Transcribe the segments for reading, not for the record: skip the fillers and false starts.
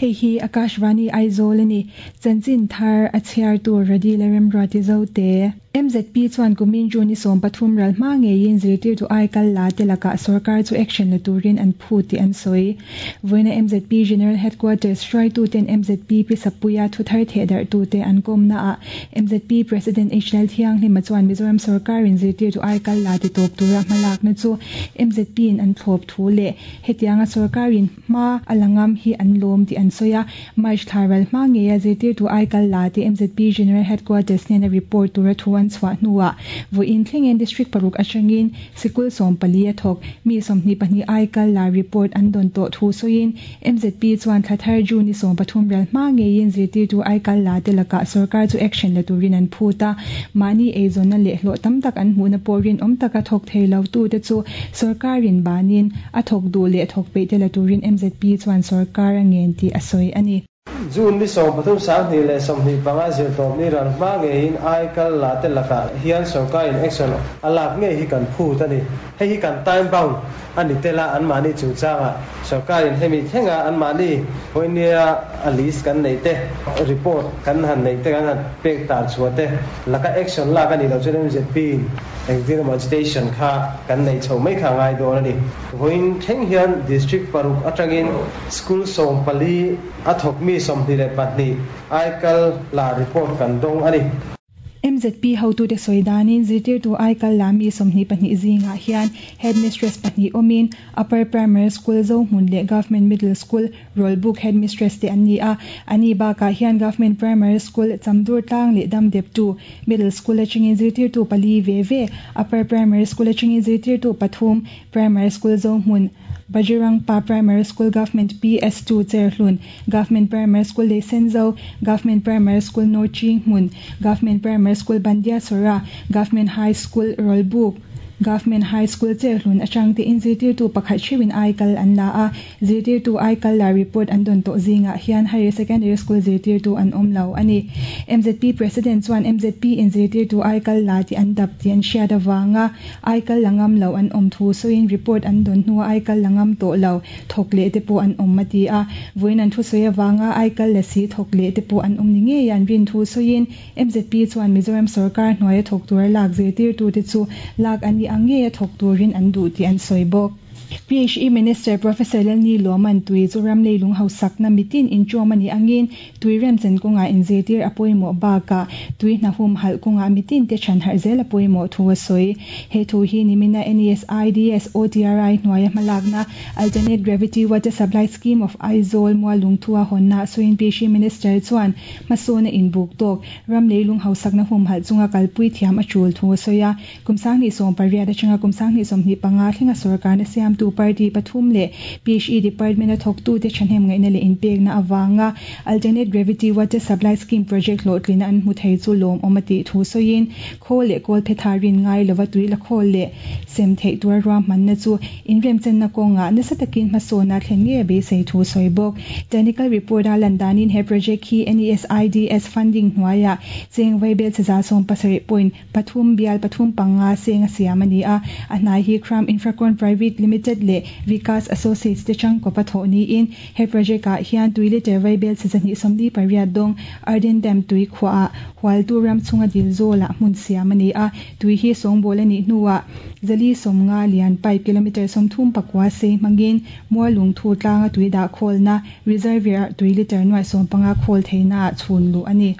Hei hi Akashvani Aizawl a ni. Chanchin thar a chhiartu Radila Remruati Zote. MZP chuan kumin June i 13 ral hma ngeiin zirtirtu ai kal la te lakah sorkar chu action la turin an phut tih an sawi. Vawiina MZP General Headquarters hruaituten MZP Pi Sappuia thuthar thehdarhtute an kawmnaah MZP President HL Thianghlima chuan Mizoram sorkarin zirtirtu ai kal la ti tawp tura hmalakna chu MZP-in an thlawp thu leh hetianga sorkarin hma a la ngam hi an lawm tih an sawi a. March thla ral hma ngeia zirtirtu ai kal la te MZP General Headquarters hnena report tura thu an chhuah hnuah vawiin thlengin District paruk atangin sikul 14 a thawk. Mi 22 ai kal la report an dawn tawh thu sawiin MZP chuan thla thar June ni 13 ral hma ngeiin zirtirtu ai kal la te lakah sorkar chu action la turin an phut a. Mahni eizawnna leh hlawh tam tak an hmuhna pawh rinawm taka thawk thei lo tu te chu sorkarin banin a thawk duh leh thawk peih te la turin MZP chuan sarkar a ngen tih a sawi a ni. June ni 13 2025 zirtawp ni ral hma ngeiin ai kal la te lakah hian sorkarin action a lak ngei hi kan phut a ni. Hei hi kan time bound a ni tel a, anmahni chungchangah sorkarin hemi thlenga anmahni vawinia a list kan neih te, report kan han neih te kan han pek tar chhuah te laka action lak a nih loh chuan MZP in engtin emaw agitation kha kan neih chho mai kha a ngai dawn a ni. Vawiin thleng hian District paruk atangin School 14 a thawk mi 22 ai kal la report kan dawng a ni. MZP hotute sawi danin zirtirtu ai kal la mi 22 zingah hian headmistress pahnih awmin Upper Primary School Zohmun leh Government Middle School Rawlbuk headmistress te an ni a. Ani bakah hian Government Primary School Chamdur Tlang leh Damdeptu Middle School atangin zirtirtu pali ve ve, Upper Primary School atangin zirtirtu pathum, Primary School Zohmun, Bajirangpa Primary School Government PS2 Cherhlun, Government Primary School Leisenzo, Government Primary School Norching Hmun, Government Primary School Bandia Sora, Government High School Rawlbuk, Government High School Cherhlun atang te in zirtirtu pakhat theuhin ai kal an la a. Zirtirtu ai kal la report an dawn tawh zingah hian Higher Secondary School zirtirtu an awm lo a ni. MZP President chuan MZP in zirtirtu ai kal la tih an dap tih an hriat avanga ai kal la ngam lo an awm thu sawiin report an dawn hnuah ai kal la ngam tawh lo thawk leh te pawh an awm a ti a. Vawiin an thu sawi avanga ai kal la si thawk leh te pawh an awm ni ngei an rin thu sawiin MZP chuan Mizoram sorkar hnuaia thawk tura lak zirtirtute chu lak an nih ang ngeia thawk turin an duh tih an sawi bawk. PHE Minister Professor Lalni Lawman tui chu ram leilung hausakna mitin inṭawm a nih angin tui remchen kawngah inzirtir a pawimawh bakah tui hnahum halh kawngah mitin te chhan harh zel a pawimawh thu a sawi. He thu hi nimina NESIDS OTRI hnuaia hmalakna Alternate Gravity Water Supply Scheme of Aizawl Mualungthua hawnna sawiin PHE Minister chuan hmasawna inbuk tawk ram leilung hausakna hum halh chunga kalpui thiam a tul thu a sawi a. Kum 2018 atanga kum 2025 thlenga sarkarna siamtu party pathum leh PHE Department a thawktute thahnem ngaihna leh inpekna awanga Alternate Gravity Water Supply Scheme project hlawhtlina an hmu thei chu lawm awm a tih thu sawiin khawl leh kawl phe tha rin ngai lova tui la khawl leh sem theih tura ruahmanna chu inremchenna kawngah nasa takin hmasawna thlen ngei a beisei thu sawi bawk. Technical report a lan danin he project hi NESIDS funding hnuaiah cheng vaibel cheza 70 point pathum bial pathum panga seng a siam a ni a. A hnai hi Kram Infracon Private Limited leh Vikas Associates te changkawp a thawh niin he project ah hian tui liter vaibel chi 148 dawng Arden Dam tui khuah hualtu ram chunga dil zawlah hmun siam a ni a. Tui hi sawngbawl a nih hnuah 150 lian pipe kilometer 34 sei hmangin Mualungthu tlanga tui dah khawlna reservoir tui liter nuai 15 khawl theihna ah chhun luh a ni.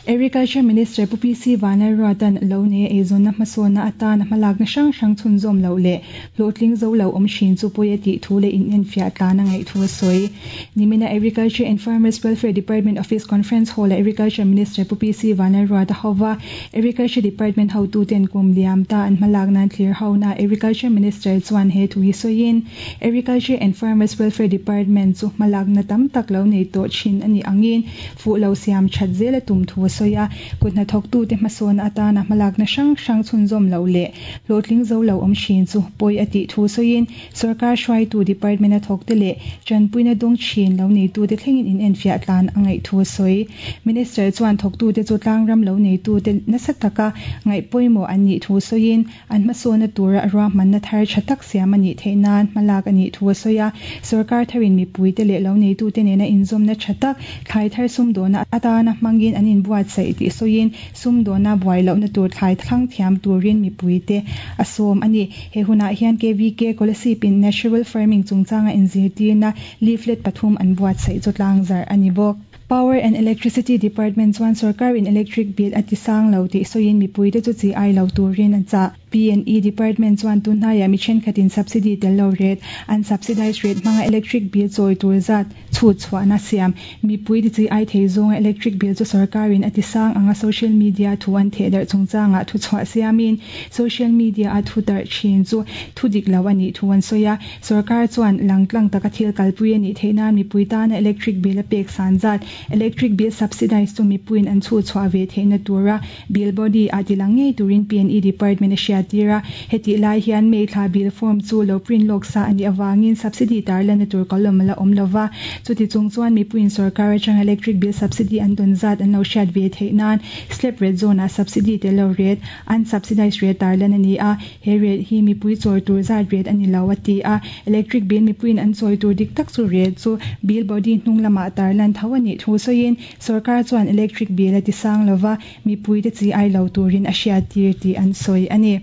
Agriculture Minister Pu PC Vanlalruatan lo ne eizawnna hmasawna atana hmalakna hrang hrang chhunzawm lo leh hlawhtling zo lo awm thin chu pawi a tih thu leh in enfiah tlan a ngaih thu a sawi. Nimina Agriculture and Farmers Welfare Department Office Conference Hall a Agriculture Minister Pu PC Vanlalruata hova Agriculture Department hotuten kum liam ta an hmalakna an thlir hona Agriculture Minister chuan he thu hi sawiin Agriculture and Farmers Welfare Department chu hmalakna tam tak lo nei tawh thin a ni angin fuh lo siam that zel a tum thu. thu a sawi a. Kuthnathawktute hmasawn atana hmalakna hrang hrang chhunzawm loh leh hlawhtling zo lo awm thin chu pawi a tih thu sawiin Sorkar hruaitu department a thawkte leh tanpuina dawng thin lo neitute thlengin inenfiah tlan a ngaih thu a sawi. Minister chuan thawktute chu tlangram lo neitute nasa taka ngaih pawimawh an nih thu sawiin an hmasawnna tura ruahmanna thar tha tak siam a nih theih nan hmalak a nih thu a sawi a. Sorkar tharin mipuite leh lo neitute nena inzawmna tha tak thlai thar sumdawhna atana hmangin an inbuatsaih tih sawiin sumdawhna buai lohna tur thlai thlang thiam turin mipuite a sawm a ni. He hunah hian KVK Kolasib-in Natural Farming chungchanga inzirtirna leaflet pathum an buatsaih chu tlangzarh a ni bawk. Power and Electricity Department chuan sorkarin electric bill a ti sang lo tih sawiin mipuite chu chi ai lo turin a chah. P&E Department chuan tunhnaiah mi thenkhatin subsidy tel lo rate, unsubsidized rate hmanga electric bill chawi tur zat chhut chhuahna siam. Mipui ti chi ai thei zawnga electric bill chu sorkarin a ti sang anga social media thu an theh darh chungchangah thu chhuah siamin social media a thu darh thin chu thu dik lo a nih thu an sawi a. Sorkar chuan langtlang taka thil kalpui a nih theih nan mipui tana electric bill a pek san zat, electric bill subsidize chu mipuiin an chhut chhuah ve theihna tura bill body ah tilang ngei turin P&E Department a hriattir a. Hetih lai hian May thla bill form chu lo print lawk sa a nih avangin subsidy tarlanna tur column a la awm lova. Chuti chung chuan mipuiin sorkar atanga electric bill subsidy an dawn zat an lo hriat ve theih nan slab rate zone ah subsidy tel lo rate, unsubsidized rate tarlan a ni a. He rate hi mipui chawi tur zat rate a ni lo a ti a. Electric bill mipuiin an chawi tur dik tak chu rate chu bill body hnung lamah tarlan tho a nih thu sawiin Sorkar chuan electric bill a ti sang lova, mipuite chi ai lo turin a hriattir tih an sawi a ni.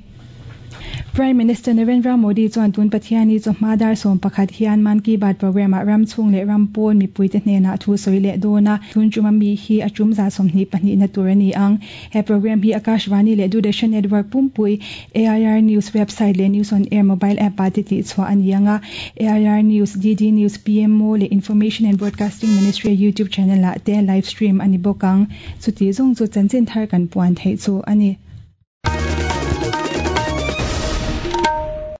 Prime Minister Narendra Modi chuan tun Pathiani chawhma dar 11 hian Mann Ki Baat programme ah ram chhung leh ram pawn mipuite hnenah thu sawi leh dawn a, tun tum a mi hi a tum 22 na tur a ni ang. He programme hi Akashvani leh Doordarshan Network pumpui, AIR News website leh News on Air mobile app ah te tihchhuah a ni ang a. AIR News, DD News, PMO leh Information and Broadcasting Ministry YouTube channel ah te live stream a ni bawk ang. Chuti zawng chu chanchin thar kan puan theih chu a ni.